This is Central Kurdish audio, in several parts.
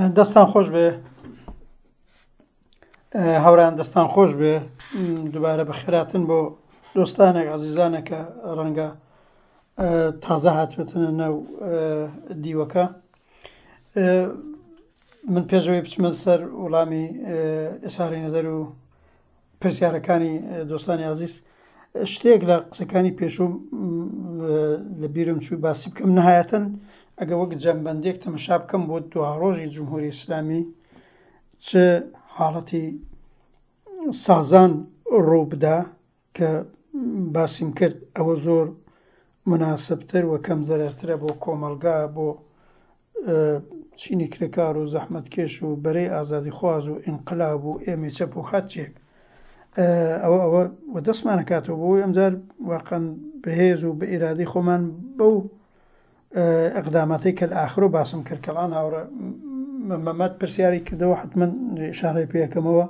دەستان خۆش بێ هاوران دەستان خۆش بێ دووبارە بەخێراتن بۆ دۆستانێک عزیزانێک کە ڕەنگە تازە هاتبێتنە ناو دیوەکە من پێشەوەی بچمە سەر وەڵامی ئێساری نەزەر و پرسیارەکانی دۆستانی ئازیز شتێک لە قسەکانی پێشوو لە بیرم چوو باسی بکەم نهایەتەن ئەگە وەک جەمبەندێک تەمەشا بکەم بۆ دواڕۆژی جمهوری ئیسلامی چ حاڵەتی سازان ڕوو بدا کە باسیم کرد ئەوە زۆر مناسبتر و کەم زەرەرترە بۆ کۆمەڵگا بۆ چینی کرێکار و زەحمەتکێش و بەرەی ئازادیخواز و ئینقلاب و ئێمەی چەپ و هەرچیەک ئەوە ئەوە و دەستمانەکاتەوە بۆی ئەمجار واقعا بەهێز و بە ئیرادەی خۆمان بەو ئەقداماتەی کە لە ئاخرۆ باسم کرد کەڵان هاوڕێ مەمەد پرسیاری کردەوە حتمما ئشارەی پێەکەمەوە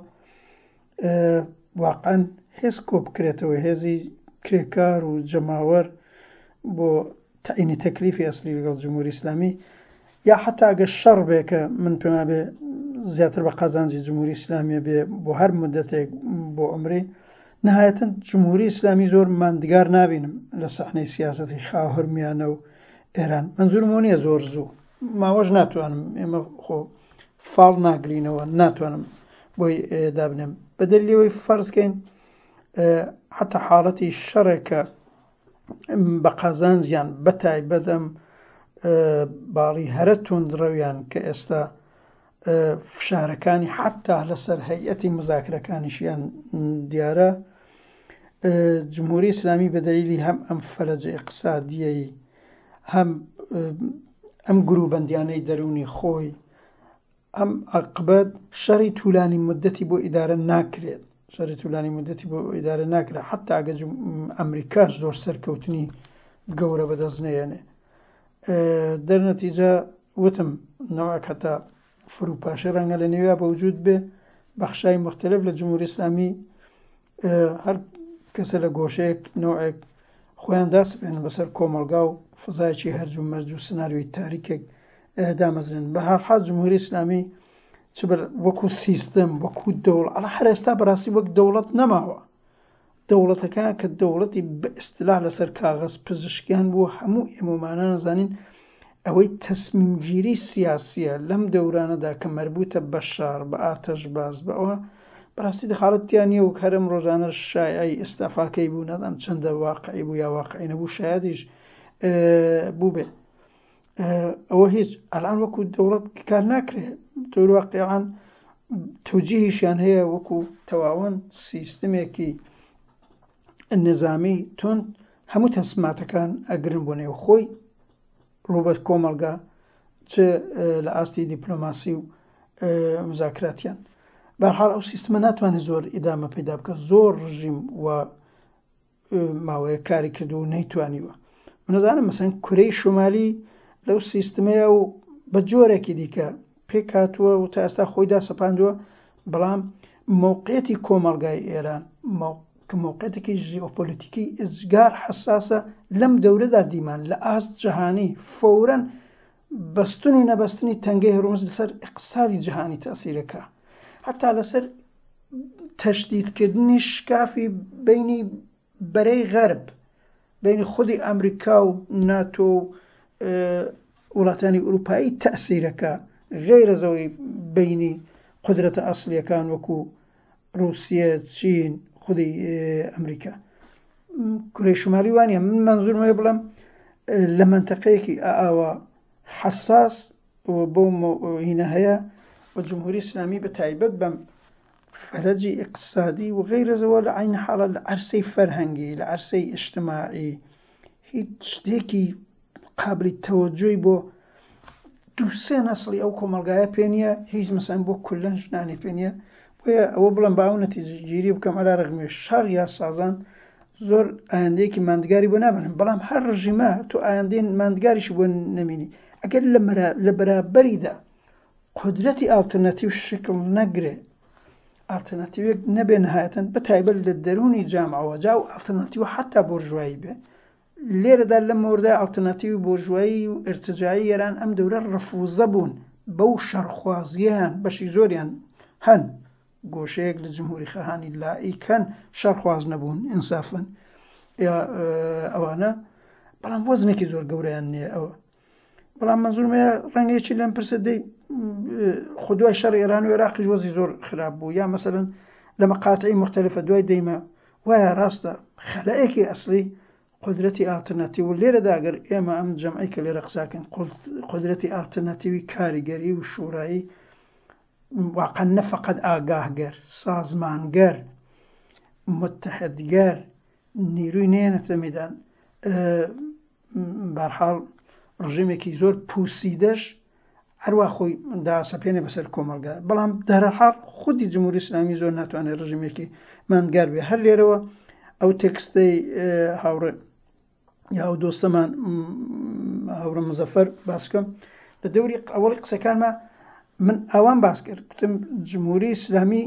واقعەن هێز کۆبکرێتەوە هێزی کرێکار و جەماوەر بۆ تەعینی تەکلیفی ئەسلی لەگەڵ جمهوری ئیسلامی یا حتا ئەگەر شەڕ بێ کە من پێم بێ زیاتر بە قازانجی جمهوری ئیسلامیە بێ بۆ هەر مدەتێک بۆ عمری نهایەتەن جمهوری ئیسلامی زۆر ماندگار نابینم لە سەحنەی سیاسەتی خاوهرمیانە و ئێران منزورم نییە زۆر زوو ماوەش ناتوانم ئێمە خۆ فاڵ ناگرینەوە ناتوانم بۆی دابنێم بەدەر لێوەی فەرزکەین حتا حاڵەتی شەڕێکە بە قازانجیان بە تایبەت ئەم باڵی هەرە توندڕەویان کە ئێستا فشارەکانی حتا لەسەر هەیئەتی مزاکرەکانیشیان دیارە جمهوری ئیسلامی بە دەلیلی هەم ئەم فەلەجە ئیقتسادیەی هەم ئەم گروبەندیانەی دەروونی خۆی ئەم عەقبەت شەڕی تولانی مدەتی بۆ ئیدارە ناکرێت شەڕی تولانی مدەتی بۆ ئیدارە ناکرێت حتا ئەگە ئەمریکاش زۆر سەرکەوتنی گەورە بەدەست نەیەنێ دەرنەتیجە وتم نەوەک هەتا فروپاشی ڕەنگە لە نێویا بەوجود بێ بەخشای مختلف لە جمهوری ئیسلامی هەر کەسە لە گۆشەیەک نەوعێک خۆیان داسپێنن بەسەر کۆمەڵگا و فەزایەکی هەرج و مەرج و سناریۆی تاریکێک دامەزرێن بە هەرحاڵ جمهوری ئیسلامی چ بە وەکو سیستم وەکو دەوڵ ئەڵە هەر ئێستا بەڕاستی وەک دەوڵەت نەماوە دەوڵەتەکە کە دەوڵەتی بە ئیستلاح لەسەر کاغەز پزیشکیان بوو هەموو ئێمەمانە نەزانین ئەوەی تەسمیمگیری سیاسیە لەم دەورانەدا کە مەربوتە بە شەڕ، بە ئاتەشباز، بە ئەوە، بەڕاستی دەخاڵەت تیا نیە و هەر ئەم ڕۆژانەش شایعەی ئیستعفاکەی بوو، نازانم چەندە واقعی بوو یا واقعی نەبوو، شایەدیش بووبێ. ئەوە هیچ، ئەلان وەکو دەوڵەت کار ناکرێ، تۆر واقعان تەوجیهیشیان هەیە وەکو تەواوەن سیستمێکی نظامی توند هەموو تەسماتەکان ئەگرن بۆ نێو خۆی ڕووبەر کۆمەڵگا چ لە ئاستی دیپلۆماسی و مزاکراتیان بەرحاڵ ئەو سیستمە ناتوانێت زۆر ئیدامە پەیدا بکە زۆر ڕژیم و ماوەیە کاری کردو و نەیتوانیوە منەزانم مەسەن کورەی شمالی لەو سیستمەیە و بە جۆرێکی دیکە پێکهاتووە و تا ئێستا خۆی داسەپاندووە، بەڵام مەوقعیەتی کۆمەڵگای ئێران کە مەوقعیەتێکی ژیۆپۆلیتیکی ئێجگار حەساسە لەم دەورەدا دیمان لە ئاست جەهانی فەورەن بەستن و نەبەستنی تەنگەی هورمز لەسەر ئیقتسادی جەهانی تەئسیرەکە حەتا لەسەر تەشدیدکردنی شکافی بەینی بەرەی غەرب، بەینی خودی ئەمریکا و ناتۆ و وڵاتانی ئوروپایی تەئسیرەکە غەیرە زەوەی بەینی قودرەتە ئەسڵیەکان وەکو ڕوسیە، چین، خودی ئەمریکا. کورەی شمالی وانە من مەنزورم هەیە بڵێم لە مەنتەقەیەکی ئاوا حەساس و بەو هینە هەیە و جمهوری ئیسلامی بە تایبەت بەم فەرەجی ئیقتسادی و غەیرە زەوە لە عەین حاڵا لە عەرسەی فەرهەنگی لە عەرسەی ئیجتماعی هیچ شتێکی قابلی تەوەجۆی بۆ دوو سێ نەسڵی ئەو کۆمەڵگایە پێ نییە هیچ مەسەن بۆ کولەن ژنانی پێ نییە بۆیە ئەوە بڵێم با ئەو نەتیجەگیری بکەم عەلا رەغمی شەڕ یا سازان زۆر ئایندەیەکی ماندگاری بۆ نابنم بەڵام هەر ڕژیمە تۆ ئایندەی ماندگاریشی بۆ نەمینی ئەگەر لە بەرابەریدا قودرەتی ئاڵترناتیو شکڵ نەگرێ، ئاڵترناتیوێک نەبێ نەهایەتەن بە تایبەت لە دەروونی جامعەوە جا ئەو ئاڵترناتیوە حەتا بۆرژوایی بێ لێرەدا لەم مەوردای ئاڵترناتیوی بۆرژوایی و ئیرتجاعی ئێران ئەم دەورە ڕفوزە بوون. بەو شەڕخوازییەیان بەشی زۆریان هەن گۆشەیەک لە جمهوری خەهانی لائیک هەن شەڕخواز نەبوون ئینسافەن یا ئەوانە بەڵام وەزنێکی زۆر گەورەیان نییە ئەوە بەڵام مەنزورم هەیە ڕەنگە یەکی لەم پرسە دەی خۆ دوای شەڕی ئێران و عێراقیش وەزی زۆر خراپ بوو یا مەسەلەن لە مەقاتعی مختلفە دوای دەیمە وایە ڕاستە خەلەیەکی ئەسلی قدرەتی ئالترناتیو و لێرەدا گەر ئێمە ئەم جەمعی کە لێرە قساکەین قدرەتی ئالترناتیوی کاریگەری و شورایی واقعا نە فقط ئاگاهگەر سازمانگەر متحدگەر نیروی نێنێتە مەیدان بارحاڵ ڕژێمێکی زۆر پوسیدەش هەروا خۆی داسەپێنێ بەسەر کۆمەڵگا بەڵام دەرحاڵ خودی جمهوری ئیسلامی زۆر ناتوانێت ڕژیمێکی ماندگار بێ هەر لێرەوە ئەو تێکستەی هاوڕێ یا ئەو دۆستەمان هاوڕە مزەفەر باسکەم لە دەوری ئەوەڵی قسەکانمە من ئاوان باس کرد گوتم جمهوری ئیسلامی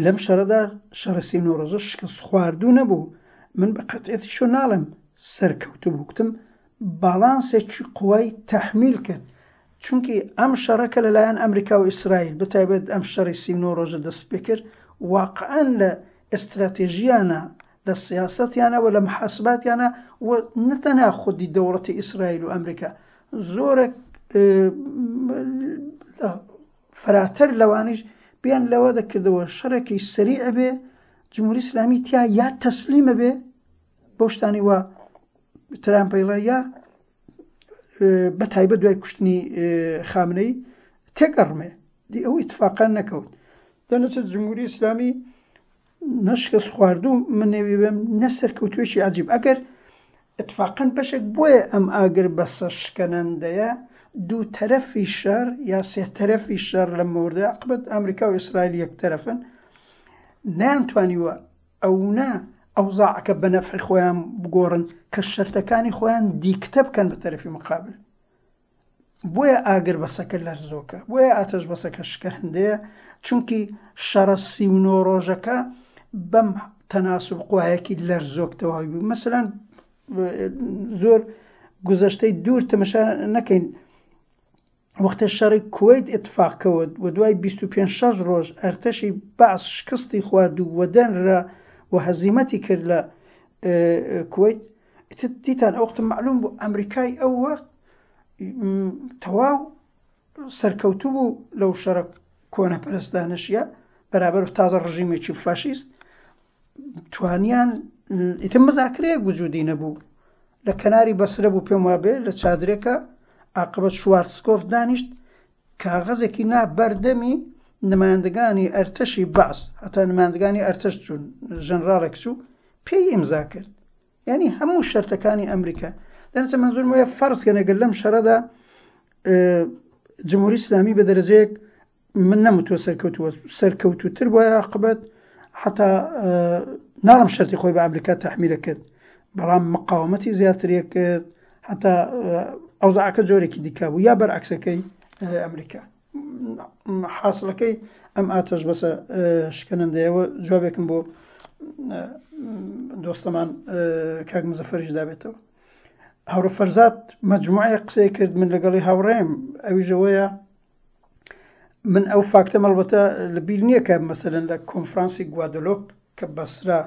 لەم شەڕەدا شەڕی 39 ڕۆژە شکست خواردوو نەبوو من بە قەتعیەتی شۆ ناڵێم سەرکەوتوو بوو گوتم باڵانسێکی قوای تەحمیل کرد چونکی ئەم شەڕە کە لەلایەن ئەمریکا و ئیسرائیل بەتایبەت ئەم شەڕی 39 ڕۆژە دەست پێکرد واقعا لە ئێستراتێژیانە لە سیاسەتیانە و لە محاسباتیانە و نە تەنها خودی دەوڵەتی ئیسرائیل و ئەمریکا زۆرێک فەراتر لەوانیش بیان لەوە دەکردەوە شەڕێکی سەریع بێ جمهوری ئیسلامی تیا یا تەسلیمە بێ بەو شتانی وا ترامپ پەیڵە یا بە تایبەت دوای کوشتنی خامنەی تێکەڕمێ دی ئەو ئیتفاقان نەکەوت دەنەچێت جمهوری ئیسلامی نە شکست خواردوو من نێوی بێم نە سەرکەوتوێکی عجیب ئەگەر اتفاقا بەشێک بۆیە ئەم ئاگر بەسە شکەنەندەیە دوو تەرەفی شەر یا سێ تەرەفی شەر لە مۆردە عقبەت ئەمریکا و ئیسرائیل یەک تەرەفن نەیانتوانیوە ئەونە ئەوزاعەکە بە نەفعی خۆیان بگۆڕن کە شەرتەکانی خۆیان دیکتە بکەن بە تەرەفی مقابل بۆیە ئاگر بەسەکە لەرزۆکە، بۆیە ئاتەش بەسەکە شکەهندەیە، چونکی شەڕە 39 ڕۆژەکە بەم تەناسوب قوایەکی لەرزۆک تەواوی بوو. مەسەلەن زۆر گوزەشتەی دوور تەمەشا نەکەین، وەختێ شەڕی کوەیت ئیتفاق کەوت و دوای 25 شەش ڕۆژ ئەرتەشی بەعس شکستی خوارد و وەدەنرا و هەزیمەتی کرد لە کوەیت، ئیتر دیتان ئەو وەختە مەعلوم بوو ئەمریکای ئەو وەخت تەواو سەرکەوتوو بوو لەو شەڕە کۆنەپەرستانەشیە بەرابەر تازە ڕژیمێکی فاشیست توانیان ئیتر مزاکرەیەک وجودی نەبوو لە کەناری بەسرە بوو پێم وابێ لە چادرێکە عاقبەت شوارتسکۆف دانیشت کاغەزێکی نا بەردەمی نمایندگانی ئەرتەشی بەعس هەتا نمایندگانی ئەرتەش چوون ژەنراڵێک چوو پێی ئیمزا کرد یعنی هەموو شەرتەکانی ئەمریکا دەنەچە منزورم وایە فەرز کەن ئەگەر لەم شەڕەدا جمهوری ئیسلامی بە دەرەجەیەک من نەموتووە سەرکەوتووە سەرکەوتووتر بۆیە عاقبەت حتا ناڵم شەرتی خۆی بە ئەمریکا تحمیلە کرد بەڵام مقاومەتی زیاتریە کرد حتا ئەوزاعەکە جۆرێکی دیکە بوو یا بەرعکسەکەی ئەمریکا حاصلەکەی ئەم ئاتەش بەسە شکەنەندەیەوە جوابێکم بۆ دۆستەمان کاک مزەفەریش دابێتەوە هاوڕێ فەرزاد مەجموعەیە قسەی کرد من لەگەڵی هاوڕێم ئەویشەوەیە من ئەو فاکتەم ئەڵبەتە لە بیر نییە کە مەسەلەن لە کۆنفرانسی گوادەلۆپ کە بەسرا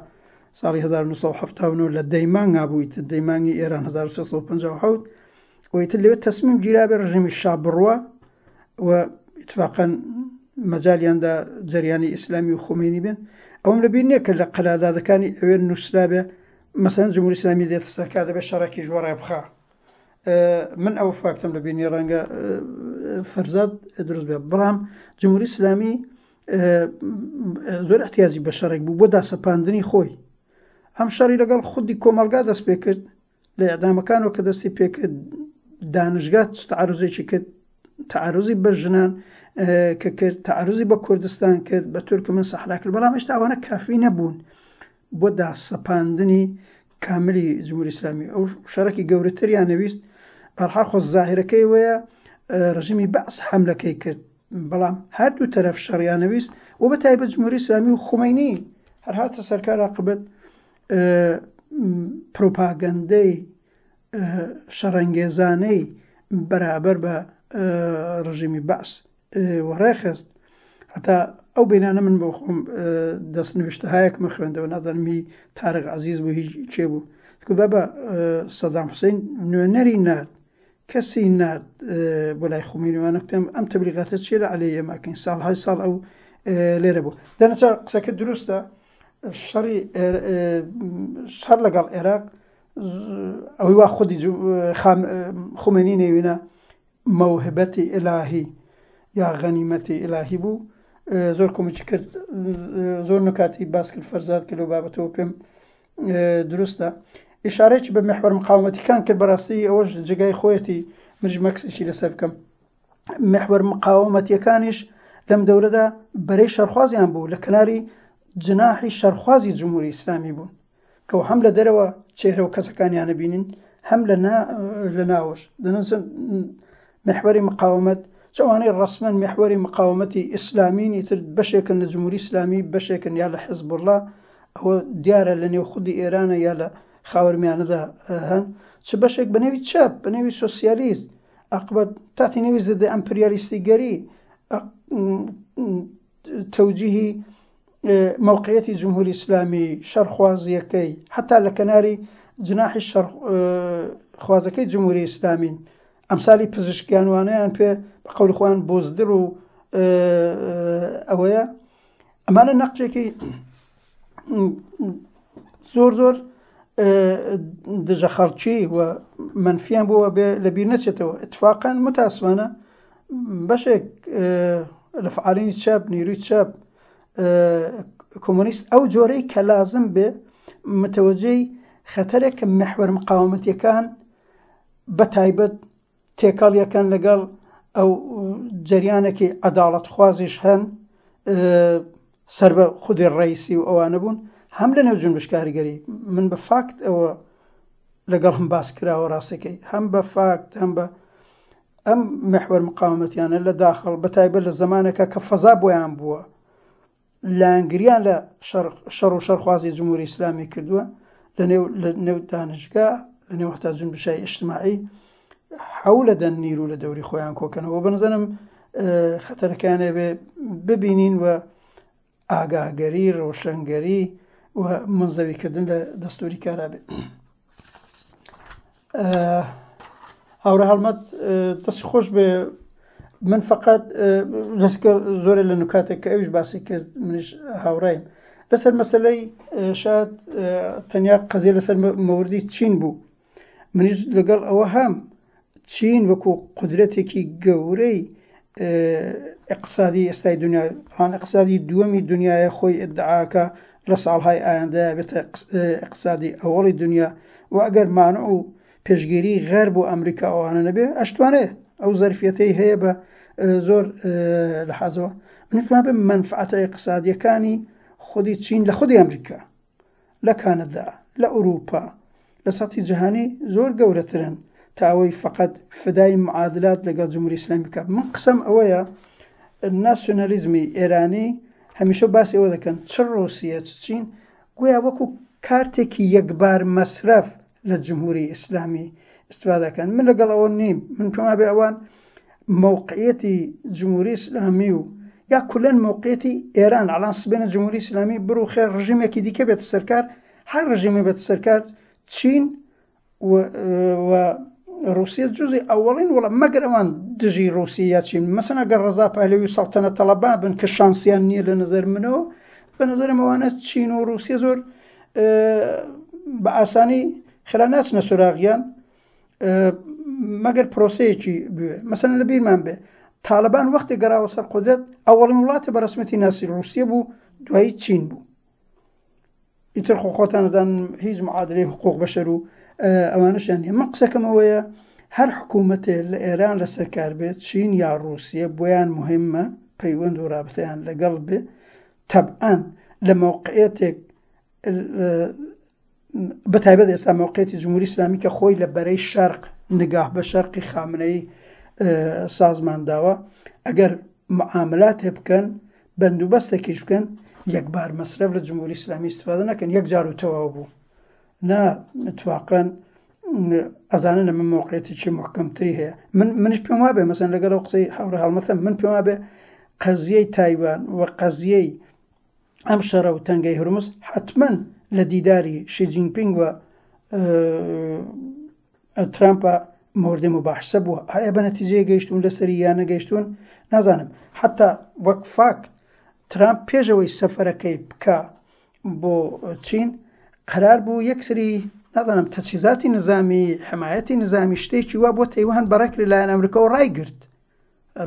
ساڵی 1970 لە دەیمانگا بوو ئیتر دەیمانگی ئێران 1357 و ئیتر لەوێ تەسمیم گیرابێ ڕژێمی شا بڕوا و ئیتفاقەن مەجالیاندا جەریانی ئیسلامی و خومەینی بێن ئەوم لە بیر نییە کە لە قەرادادەکانی ئەوێ نووسرابێ مەسەلەن جمهوری ئیسلامی دێتە سەرکار دەبێت شەڕێکیش وەڕێ بخا من ئەو فاکتەم لە بینی ڕەنگە فەرزاد دروست بێ بەڵام جمهوری ئیسلامی زۆر احتیاجی بە شەڕێک بوو بۆ داسەپاندنی خۆی ئەم شەڕی لەگەڵ خودی کۆمەڵگا دەست پێ کرد لە ئەدامەکانەوە کە دەستی پێکرد دانشگا تعرضێکی کرد تعرضی بە ژنان کە کرد تعرضی بە کوردستان کرد بە تورکمن سەحرا کرد بەڵام هێشتا ئەوانە کافی نەبوون بۆ داسەپاندنی کاملی جمهوری ئیسلامی ئەو شەڕێکی گەورەتریان نەویست بەرحاڵ خۆ زاهرەکەی وەیە ڕژیمی بەعس حەملەکەی کرد بەڵام هەردوو تەرەف شەڕیان نەویست و بە تایبەت جمهوری ئیسلامی و خومەینی هەر هاتە سەرکار عاقبەت پروپاگەندەی شەڕەنگێزانەی بەرابەر بە ڕژیمی بەعس وەڕێخست. هەتا ئەو بینانە من بۆ خۆم دەست نوێشتەهایەکمە خوێندەوە، نازانم هی تارق عەزیز بوو هی کێ بوو، گوت بابا سەدام حوسین نوێنەری نارد، کەسی نارد بۆ لای خومەینی وانە، گوتم ئەم تەبلیغاتە چیە لە عەلەی ئێمە ئەکەین، ساڵهای ساڵ ئەو لێرە بوو. دەنەچە قسەکە دروستە، شەڕی شەڕ لەگەڵ عێراق ئەوەی وا خودی خومەینی نەیوینە مەوهبەتی ئیلاهی یا غەنیمەتی ئیلاهی بوو. زۆر کۆمەکی کرد، زۆر نکاتی باس کرد فەرزاد کە لەو بابەتەوە پێم دروستە. ئیشارەیەکی بە محوەر مقاومەتیکان کرد، بەڕاستی ئەوەش جێگای خۆیەتی منیش مەکسێکی لەسەر بکەم. محوەر مقاومەتیەکانیش لەم دەورەدا بەرەی شەرخوازیان بوو، لە کەناری جناحی شەرخوازی جمهوری ئیسلامی بوون کە هەم لە دەرەوە چێهرە و کەسەکانیانە بینین هەم لە لە ناوەش دەنووسن محوەری مقاومەت چەوانەی ڕەسمەن محوەری مقاومەتی ئیسلامین ئیتر بەشێکن لە جمهوری ئیسلامی بەشێکن یا لە حزبوڵڵا ئەوە دیارە لە نێو خودی ئێرانە یا لە خاوەرمیانەدا هەن چ بەشێک بە نێوی چەپ بە نێوی سۆسیالیست عاقبەت تاتی نێوی زدە ئەمپریالیستیگەری تەوجیهی مەوقعیەتی جمهوری ئیسلامی، شەڕخوازییەکەی، حەتا لە کەناری جناحی شەڕخوازەکەی جمهوری ئیسلامین، ئەمسالی پزیشکیانوانەیان پێ بە قەولی خۆیان بۆزدڵ و ئەوەیە. ئەمانە نەقشێکی زۆر زۆر دژە خەڵکی و منفیان بووە بێ لەبیر نەچێتەوە. اتفاقا متاسفانە بەشێک لە فعالینی چەپ، نیروی چەپ، کۆمۆنیست ئەو جۆرەی کە لازم بێ متەوەجەی خەتەرێک کە محوەر مقاومەتیەکان بە تایبەت تێکەڵیەکەن لەگەڵ ئەو جەریانێکی عەداڵەتخوازیش هەن سەر بە خودی ڕەیسی و ئەوانە بوون هەم لە نێو جونبش کاریگەری من بە فاکت ئەوە لەگەڵ هەم باس کراوە ڕاستەکەی هەم بە فاکت هەم بە ئەم محوەر مقاومەتیانە لە داخڵ بە تایبەت لە زەمانێکا کە فەزا بۆیان بووە لایەنگریان لە شەڕ و شەڕخوازی جمهوری ئیسلامی کردووە لە نێو لە نێو دانشگا لە نێو هەتا جنبشای ئیجتماعی حەولە دەن نیرو لە دەوری خۆیان کۆکەنەوە بەنزەنم خەتەرەکانێ بێ ببینین و ئاگاگەری، ڕەوشەنگەری و مونزەویکردن لە دەستوری کارا بێ. هاوڕێ هەڵمەت دەستی خۆش بێ من فقط دەستکە زۆرێ لە نکاتێک کە ئەویش باسی کرد منیش هاوڕایم لەسەر مەسلەی شاید تەنیا قەزیە لەسەر مەوردی چین بوو منیش لەگەڵ ئەوە هەم چین وەکو قودرەتێکی گەورەی ئیقتسادی ئێستای دنیا ڕان ئیقتسادی دووەمی دنیاە خۆی ئیدعاکە لە ساڵهای ئایندەیە بێتە ئیقتسادی ئەوەڵی دنیا و ئەگەر مانع و پێشگیری غەرب بۆ ئەمریکا ئەوانە نەبێ ئەشتوانێ ئەو زەرفیەتەی هەیە بە زۆر لە حەزەوە من پێم بێ مەنفعەتە ئیقتسادیەکانی خودی چین لە خودی ئەمریکا لە کانەدا، لە ئورووپا، لە سەتحی جیهانی زۆر گەورەترن تا ئەوەی فەقەت فدای معادلات لەگەڵ جمهوری ئیسلامی بکا. من قسەم ئەوەیە ناسیۆنالیزمی ئێرانی هەمیشە باسی ئەوە دەکەن چ ڕووسیە چ چین گویا وەکوو کارتێکی یەکبار مەسرەف لە جمهوری ئیسلامی ئیستفادە کەن. من لەگەڵ ئەوە نیم. من پێم وابێ ئەوان مەوقعیەتی جمهوری ئیسلامی و یا کولەن مەوقعیەتی ئێران ئەڵان سبێنە جمهوری ئیسلامی بڕوخێ ڕژیمێکی دیکە بێتە سەرکار هەر ڕژیمێ بێتە سەرکار چین و و ڕوسیە جزی ئەوەڵین وڵا مەگەر ئەوان دژی ڕوسیە یا چین مەسەن ئەگەر ڕەزا پەهلەوی و سەڵتەنە تەڵەبا بن کە شانسیان نییە لە نظر منەوە بە نظرم ئەوانە چین و ڕوسیە زۆر بە ئاسانی خێرا ناچنە سۆراغیان مەگەر پرۆسەیەکی بوێ مەسەن لە بیرمان بێ تاالبان وەختی گەڕاوە سەر قودرەت ئەوەڵین وڵاتە بە ڕسمەتی ناسی ڕوسیە بوو دوایی چین بوو ئیتر خۆ خۆتان دەزانن هیچ معادلەی حقوق بەشەر و ئەوانەشیان نییە من قسەکەم ئەوەیە هەر حکوومەتێ لە ئێران لەسەر کار بێت چین یا ڕووسیە بۆیان مهمە پەیوەند و رابطەیان لەگەڵ بێ تەبعەن لە مەوقعیەتێک بە تایبەت ئێستا مەوقعیەتی جمهوری ئیسلامی کە خۆی لە بەرەی شەرق نگاه بە شەرقی خامنەیی سازمان داوە ئەگەر معاملاتێ بکەن بەندوبەستێکیش بکەن یەکبار مەسرەف لە جمهوری ئیسلامی ئیستفادە نەکەن یەک جار و تەواو بوو نا اتفاقا. ئەزانن ئەمە مەوقعیەتێکی محکەمتری هەیە. من منیش پێم وابێ مەسەن لەگەڵ ئەو قسەی هاوڕێ هەڵمەتم، من پێم وابێ قەزیەی تایوان و قەزیەی ئەم شەڕە و تەنگەی هورمز حەتمەن لە دیداری شی جینپینگ و ترامپا مۆردی مباحسە بووە. ئایا بە نەتیجەیە گەیشتوون لەسەری یا نەگەیشتوون نازانم. حەتا وەک فاکت ترامپ پێش ئەوەی سەفەرەکەی بکا بۆ چین قەرار بوو یەک سری نازانم تەجهیزاتی نزامی حمایەتی نزامی شتێکی وا بۆ تەیوان بەڕێکرێ لایەن ئەمریکاوە ڕایگرت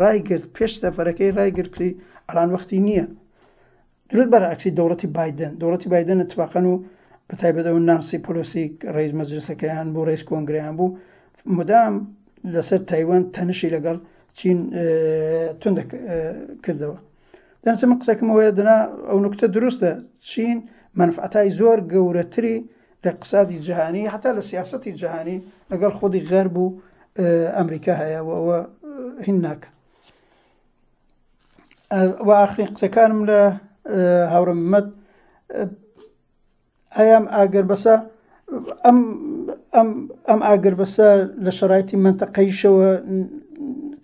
ڕایگرت پێش سەفەرەکەی ڕایگرت کری ئەلان وەختی نییە درود بەرعکسی دەوڵەتی بایدن دەوڵەتی بایدن اتفاقا و بە تایبەت ئەو نانسی پۆلۆسی ڕئیس مەجلسەکەیان بوو ڕئیس کۆنگرەیان بوو مدام لەسەر تایوان تەنشی لەگەڵ چین توند کردەوە. دەنسە من قسەکەم ئەوەیە دەنا ئەو نوکتە دروستە چین مەنفعەتای زۆر گەورەتری لە اقتصادی جهانی حتا لە سیاسەتی جهانی لەگەڵ خودی غەرب و ئەمریکا هەیە و ئەوە هین ناکە. و ئاخرین قسەکانم لە هاوڕێ محمد ئایا ئەم ئاگربەسە ئەم ئەم ئەم ئاگربەسە لە شەرایتی مەنتەقەیشەوە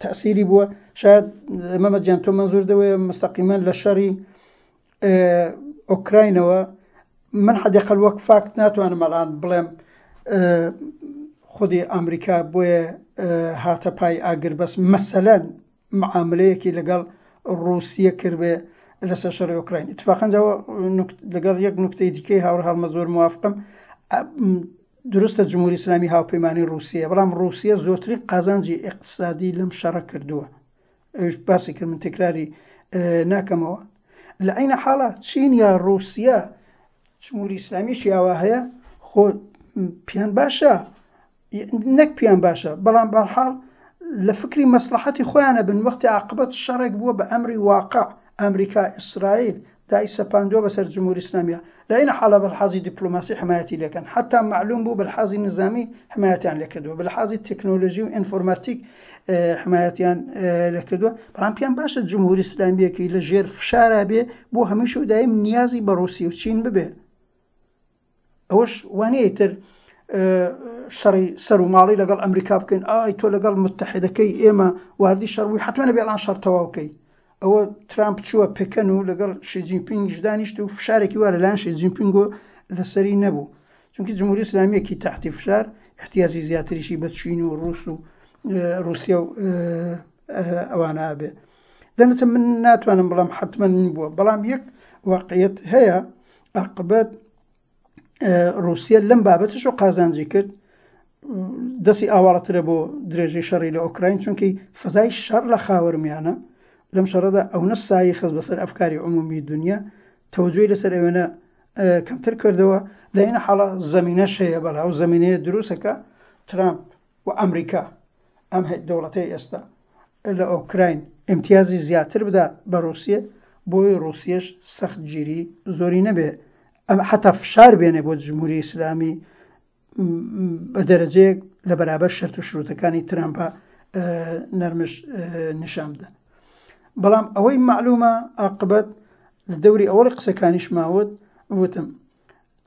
تەسیری بووە شاید مەمەد گیان تۆ مەنزور دەوەیە مستەقیمەن لە شەڕی ئۆکراینەوە من حەدیقەل وەک فاکت ناتوانم ئەلان بڵێم خودی ئەمریکا بۆیە هاتە پای ئاگربەس مەسەلەن معاملەیەکی لەگەڵ ڕووسیە کردبێ لەسەر شەڕی ئۆکراین. ئیتفاقەن جا لەگەڵ یەک نوکتەی دیکەی هاوڕێ هەڵمە زۆر موافقم. دروستە جمهوری ئیسلامی هاوپەیمانی ڕووسیە، بەڵام ڕووسیە زۆرترین قازانجی ئیقتسادی لەم شەڕە کردووە. ئەویش باسی کرد من تکراری ناکەمەوە. لە عەینە حاڵا چین یا ڕووسیە جمهوری ئیسلامیی ئاوا هەیە خۆ پێیان باشە نەک پێیان باشە بەڵام بەرحاڵ لە فکری مەسڵەحەتی خۆیانە بن وەختی عاقبەت شەڕێک بووە بە ئەمری واقع ئەمریکا ئیسرائیل دای سەپاندووە بەسەر جمهوری ئیسلامیە لە عین حاڵا بە لحازی دیپلۆماسی حمایەتی لێکەن حەتا مەعلوم بوو بە لحازی نزامی حمایەتیان لێکردووە بە لحازی تەکنۆلۆژی و ئینفۆرماتیک حمایەتیان لێکردووە بەڵام پێیان باشە جمهوری ئیسلامیەکی لە ژێر فشارا بێ بۆ هەمیشە و دایم نیازی بە ڕووسی و چین ببێ ئەوەش وانیە ئیتر شەڕی سەر و ماڵی لەگەڵ ئەمریکا بکەین ئای تۆ لەگەڵ متحدەکەی ئێمە واردی شەڕ بووی حتمما نەبێ ئەڵان شەڕ تەواو کەی ئەوە ترامپ چووە پکەن و لەگەڵ شی جینپینگش دانیشت و فشارێکی وا لەلایەن شی جینپینگۆ لەسەری نەبوو چونکی جمهوری ئیسلامیەکی تحتی فشار احتیاجی زیاتریشی بە چین و ڕوس و رووسیا و ئەوانە ئەبێ دەنەچە من ناتوانم بڵام حتمما بووە بەڵام یەک واقعیت هەیە عاقبەت ڕووسیە لەم بابەتەش و قازانجی کرد دەستی ئاواڵەترە بۆ درێژەی شەڕی لە ئۆکراین چونکی فەزای شەڕ لە خاوەرمیانە لەم شەڕەدا ئەونە سایی خست بەسەر ئەفکاری عمومی دنیا تەوەجۆی لەسەر ئەوێنە کەمتر کردەوە لە ئینە حاڵە زەمینەش هەیە بەڵێ ئەو زەمینەیە دروستەکە ترامپ و ئەمریکا ئەم دەوڵەتەی ئێستا لە ئۆکراین ئیمتیازی زیاتر بدا بە ڕووسیە بۆی ڕووسیەش سەختگیری زۆری نەبێ ئەم حتا فشار بێنێ بۆ جمهوری ئیسلامی بە دەرەجەیەک لە بەرابەر شەرت و شروتەکانی ترامپا نەرمش نیشان بدەن بەڵام ئەوەی معلومە عاقبەت لە دەوری ئەوەڵی قسەکانیش ماوت وتم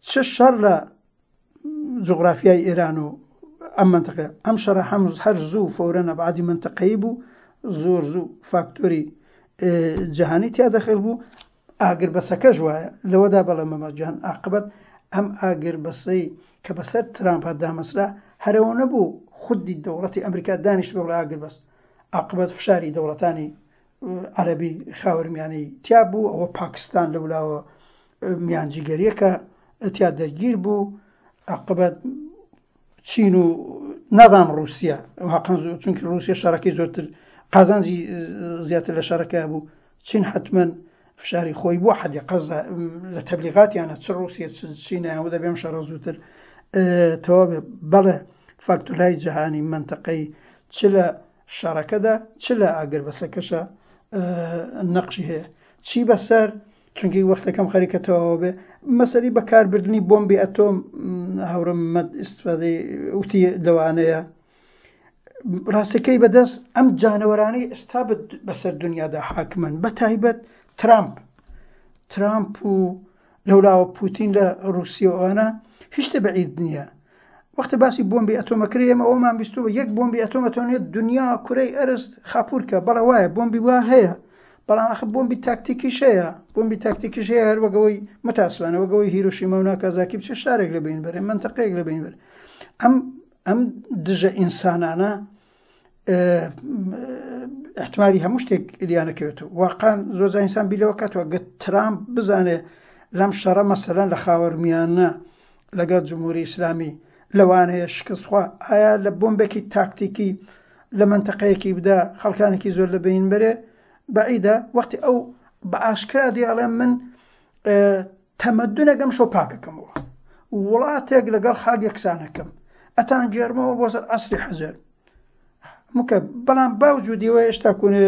چ شەڕ لە جوغرافیای ئێران و ئەم مەنتقەیە. ئەم شەڕە هەم هەر زوو فەورەن ئەبعادی مەنتقەیی بوو، زۆر زوو فاکتۆری جەهانی تیا دەخیل بوو، ئاگربەسەکەش وایە. لەوەدا بەڵێ مەمەد جان ئاقبەت ئەم ئاگربەسەی کە بەسەر ترامپا دامەزرا هەر ئەوە نەبوو خودی دەوڵەتی ئەمریکا دانیشتبێ بڵێ ئاگربەست، ئاقبەت فشاری دەوڵەتانی عەرەبی خاوەرمیانەی تیا بوو، ئەوە پاکستان لەولاوە میانجیگەریەکە تیا دەرگیر بوو، عاقبەت چین و نازانم ڕووسیا چونکی ڕووسیا شەڕەکەی زۆرتر قازانجی زیاتر لە شەڕەکە بوو، چین حتمما فشاری خۆی بووە حەدی قەزا لە تەبلیغاتیانە چ ڕووسیا چ چینیان و دەبێم شەڕە زووتر تەواو بێ. بەڵێ فاکتۆرهای جەهانی مەنتەقەی چ لە شەڕەکەدا چ لە ئاگربەسەکەشا نەقشی هەیە چی بەسەر چونکی وەختەکەم خەریکە تەواوە بێ مەسەلی بەکاربردنی بۆمبی ئەتۆم هاوڕێ مەد ئیسفادەی وتی لەوانەیە ڕاستەکەی بەدەست ئەم جانەوەرانەی ئێستا بەسەر دنیادا حاکمن بە تایبەت ترامپ ترامپ و لەولاوە پوتین لە ڕووسیەوە ئەوانە هیچ شتێ بەعید نییە. وەختە باسی بۆمبی ئەتۆمە کرێ ئێمە ئەوەمان بیستووە یەک بۆمبی ئەتۆم ئەتوانێت دنیا کورەی ئەرز خاپوور کە بەڵێ وایە بۆمبی وا هەیە بەڵام ئەخ بۆمبی تاکتیکیش هەیە بۆمبی تاکتیکیش هەیە هەر وەک ئەوەی متاسفانە وەک ئەوەی هیرۆشیما و ناکازاکی بچێ شارێک لە بەین بەرێ مەنتەقەیەک لە بەین بەرێ ئەم ئەم دژە ئینسانانە احتمالی هەموو شتێک لیانەکەوێتەوە واقعا زۆر جار ئینسان بیر لەوە کاتەوە گەر ترامپ بزانێ لەم شەڕە مەسەلەن لە خاوەرمیانە لەگەڵ جمهوری ئیسلامی لەوانەیە شکست خوا ئایا لە بۆمبێکی تاکتیکی لە مەنتەقەیەکی بدا خەڵکانێکی زۆر لە بەین بەرێ بەعیدە وەختی ئەو بە ئاشکرا دێ ئەڵێ من تەمەدونێک ئەمشەو پاکەکەمەوە وڵاتێک لەگەڵ خاک یەکسانەکەم ئەتان گێڕمەوە بۆ سەر عەسری حەجەر مکە بەڵام باوجودیەوە هێشتا کونێ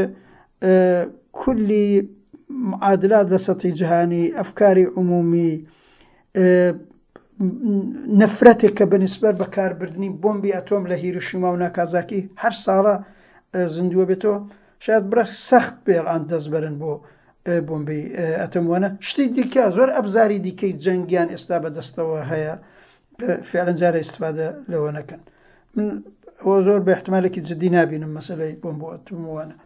کولی معادلات لە سەتی جیهانی ئەفکاری عمومی نەفرەتێک کە بەنیسبەت بەکاربردنی بۆمبی ئەتۆم لە هیروشیما و ناکازاکی هەر ساڵە زیندووە بێتەوە شاید بڕێ سەخت بێ ئەلان دەست بەرن بۆ بۆمبی ئەتۆم وانە شتی دیکە زۆر ئەبزاری دیکەی جەنگیان ئێستا بەدەستەوە هەیە فعلا جارە ئیستفادە لەوە نەکەن من ئەوە زۆر بە احتمالێکی جدی نابینم مەسەلەی بۆمب ئەتۆم وانە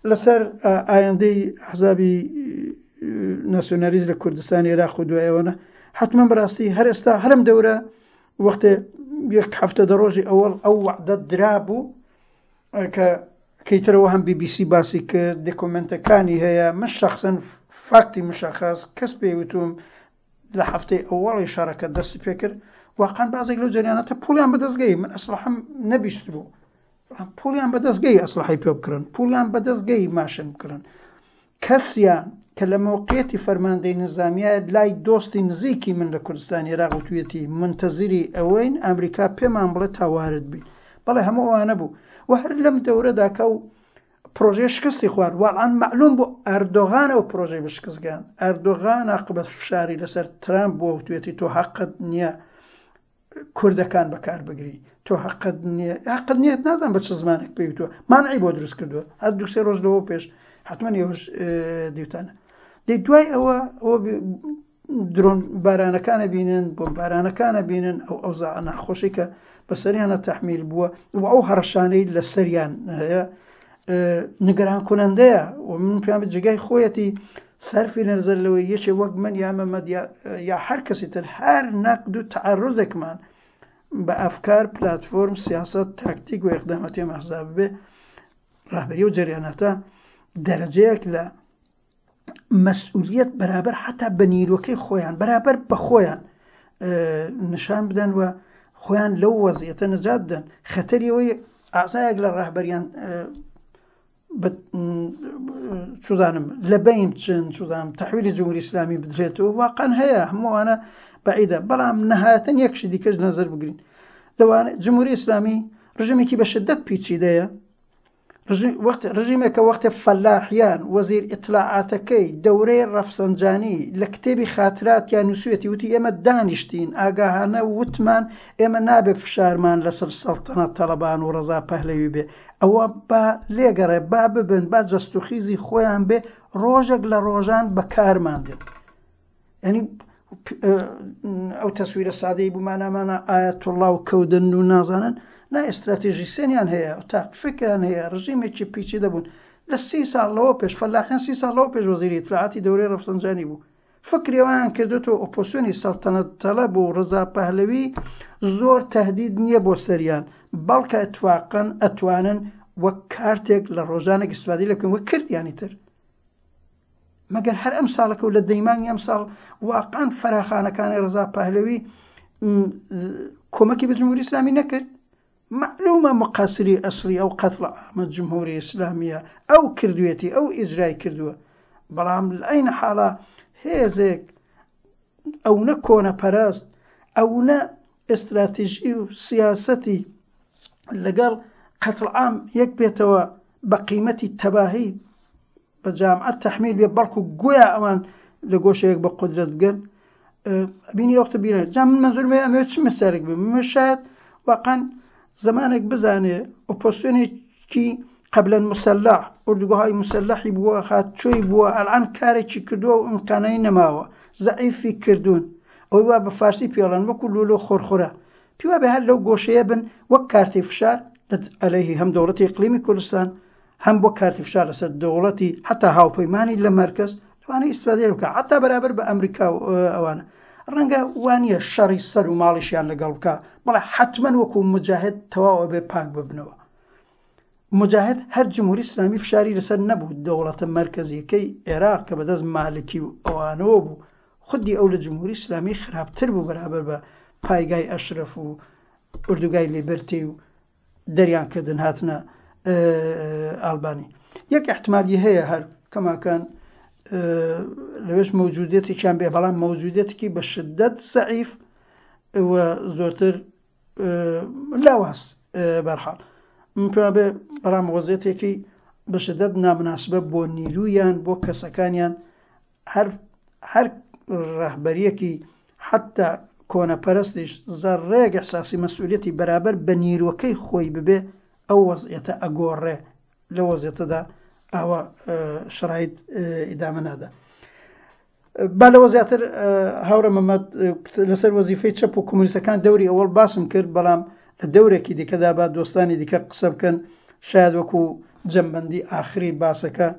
لەسەر ئایندەی ئەحزابی ناسیۆنالیست لە کوردستانی عێراق و دوای ئەوەنە حتمما بەڕاستی هەر ئێستا هەرم دەورە وەختێ یەک هەفتە دە ڕۆژی ئەوەڵ ئەو وعدە درابوو کە کەیترەوە هەم بیبیسی باسی کرد دێکۆمنتەکانی هەیە من شخصن فاکتی مشخص کەس پێی وتوم لە هەفتەی ئەوەڵی شەڕەکە دەستی پێکرد واقعا بازێک لەو جەریاناتە پوڵیان بەدەستگەی من ئەسڵحم نەبیست بوو پوڵیان بەدەستگەی ئەسڵحی پێ بکڕن پوڵیان بەدەستگەی ماشن بکڕن کەسیان کە لە مەوقعیەتی فەرماندەی نیزامیە لای دۆستی نزیکی من لە کوردستانی عێراق وتویەتی مونتەزیری ئەوەین ئامریکا پێمان بڵێ تا وارد بین. بەڵێ هەموو ئەوانە بوو و هەر لەم دەورەدا کە ئەو پرۆژەیە شکستی خوارد واڵان مەعلوم بوو ئەردۆغان ئەو پرۆژەی بە شکست گەیاند. ئەردۆغان عاقبەت فشاری لەسەر ترامپ بووە وتویەتی تۆ هەقت نییە کوردەکان بەکار بگری تۆ هەقت نییە هەقت نییە نازانم بە چ زمانێک پێی وتووە مانعی بۆ دروست کردووە هەر دوو سێ ڕۆژ لەوە پێش حتمما ئێوەش دیوتانە دەی دوای ئەوە ئەوە درۆن بارانەکانە بینن بۆم بارانەکانە بینن ئەو ئەوزا ناخۆشی کە بەسەریانە تحمیل بووە و ئەو هەڕەشانەی لەسەریان هەیە نگران کنندەیە و من پێیان جێگای خۆیەتی سەرفی نەزەر لەوەی یەکێ وەک من یا مەمەد یا هەر کەسی تر هەر نەقد و تەعەروزێکمان بە ئەفکار، پلاتفۆرم، سیاسەت، تاکتیک و ئیقداماتی ئەم ئەحزابە بێ، ڕەهبەری ئەو جەریاناتە دەرەجەیەک لە مەسئولیەت بەرابەر حەتا بە نیرۆکەی خۆیان بەرابەر بە خۆیان نیشان بدەن و خۆیان لەو وەزیەتە نەجات بدەن. خەتەری ئەوەی ئازایەک لە ڕەهبەریان چزانم لە بین بچن چزانم تحویلی جمهوری ئیسلامی بدرێتەوە واقعا هەیە هەمووانە بەعیدە بەڵام نهایەتەن یەک شتی دیکەش نەزەر بگرین لەوانە جمهوری ئیسلامی ڕژێمێکی بە شدت پیچیدەیە وەخت ڕژیمێکە وەختێ فەلاحیان وەزیر ئیتلاعاتەکەی دەورەی ڕەفسەنجانی لە کتێبی خاتراتیا نووسویەتی وتی ئێمە دانیشتین ئاگاهانە وتمان ئێمە نابێ فشارمان لەسەر سەڵتەنەت تەڵەبان و ڕەزا پەهلەوی بێ ئەوە با لێگەڕێ با ببن با جەستوخیزی خۆیان بێ ڕۆژێک لە ڕۆژان بەکارمان دێن یعنی ئەو تەسویرە سادەی بوومانامانە ئاەتوڵا و کەودن و نازانن نا ئێستراتێژیسێنیان هەیە تا فکران هەیە ڕژیمێکی پیچی دەبوون لە سی ساڵ لەوە پێش فەلاحیان سی ساڵ لەوە پێش وەزیری ئیتلاعاتی دەورەی ڕەفسەنجانی بوو فکری ئەویان کردوتەوە ئۆپۆسیۆنی سەڵتەنەت تەڵەب و ڕزا پەهلەوی زۆر تهدید نییە بۆ سەریان بەڵکە اتفاقا ئەتوانن وەک کارتێک لە ڕۆژانێک ئیستفادەی لێ بکەن وەک کردیانی تر مەگەر هەر ئەم ساڵەکە و لە دەیمانگی ئەم ساڵ واقعا فەراخانەکانی ڕزا پەهلەوی کۆمەکی بە جمهوری ئیسلامی نەکرد مەعلومە مقەسری ئەسڵی ئەو قەتڵ عامە جمهوری ئیسلامیە ئەو کردوێتی ئەو ئیجرای کردووە بەڵام لە حاڵا هێزێک ئەونە کۆنەپەرست ئەونە ئێستراتیژی و سیاسەتی لەگەڵ قەتڵ عام یەک بێتەوە بە قیمەتی تەباهی بە جامعە تەحمیل بێ بەڵکو گۆیا ئەوان لە گۆشەیەک بە قودرەت بگەن بینی وەختە بیرە جا من مەنزورم هەیە ئەمەوێت چ مثالێک بم من شاید واقعا زمانێک بزانێ ئۆپۆزسیۆنێکی قبلا مسلح ئوردوگاهای مسلحی بووە هاتچۆی بووە ئەلان کارێکی کردووە و ئیمکانەی نەماوە زەعیفی کردوون ئەوەی وا بە فارسی پێڵەن وەکو لولو خۆرخورە. پێی وابێ هەر لەو گۆشەیە بن وەک کارتی فشار عەلەیهی هەم دەوڵەتی ئیقلیمی کوردستان هەم بۆ کارتی فشار لەسەر دەوڵەتی حتا هاوپەیمانی لە مەرکەز لەوانەیە ئیستفادەی بکا حتا بەرابەر بە ئەمریکا و ئەوانە ڕەنگە وانییە شەڕی سەر و ماڵیشیان لەگەڵ بکا بەڵێ حتمما وەکو مجاهد تەواو ئەبێ پاک ببنەوە مجاهد هەر جمهوری ئیسلامی فشاری لەسەر نەبوو دەوڵەتە مەرکەزیەکەی عێراق کە بەدەست مالکی و ئەوانەوە بوو خودی ئەو لە جمهوری ئیسلامی خراپتر بوو بەرابەر بە پایگای ئەشرەف و ئوردوگای لیبرتی و دەریان کردن هاتنە ئالبانی. یەک ئیحتمالی هەیە هەر کەماکان لەوێش مەوجودیەتێکیان بێ بەڵام مەوجودیەتێکی بە شدەت زەعیف و زۆرتر لاواز بەرحاڵ من پێم بێ بەڵام وەزیەتێکی بە شدەت نامناسبە بۆ نیرویان بۆ کەسەکانیان هەر هەر ڕەهبەریەکی حەتتا کۆنەپەرستیش زەڕڕەیەک ئیحساسی مەسئولیەتی بەرابەر بە نیروەکەی خۆی ببێ ئەو وەزعیەتە ئەگۆڕێ لەو وەزعیەتەدا ئاوا شەرایت ئیدامە نادا. با لەوە زیاتر هاوڕێ مەمەد لەسەر وەزیفەی چەپ و کۆمۆنیستەکان دەوری ئەوەڵ باسم کرد بەڵام لە دەورێکی دیکەدا با دۆستانی دیکە قسە بکەن شاید وەکو جەمبەندی ئاخری باسەکە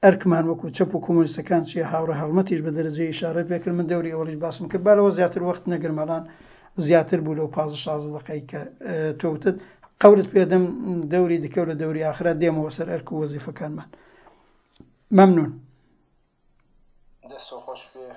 ئەرکمان وەکو چەپ و کۆمۆنیستەکان چیە هاوڕێ هەڵمەتیش بە دەرەجەی ئیشارەی پێکرد من دەوری ئەوەڵیش باسم کرد با لەوە زیاتر وەخت نەگرم ئەڵان زیاتر بوو لەو 15 16 دەقەی کە تۆ وتت قەولت پێدەم دەوری دیکە و لە دەوری ئاخرا دێمەوە سەر ئەرک و وەزیفەکانمان مەمنون. دەست خۆش بێ.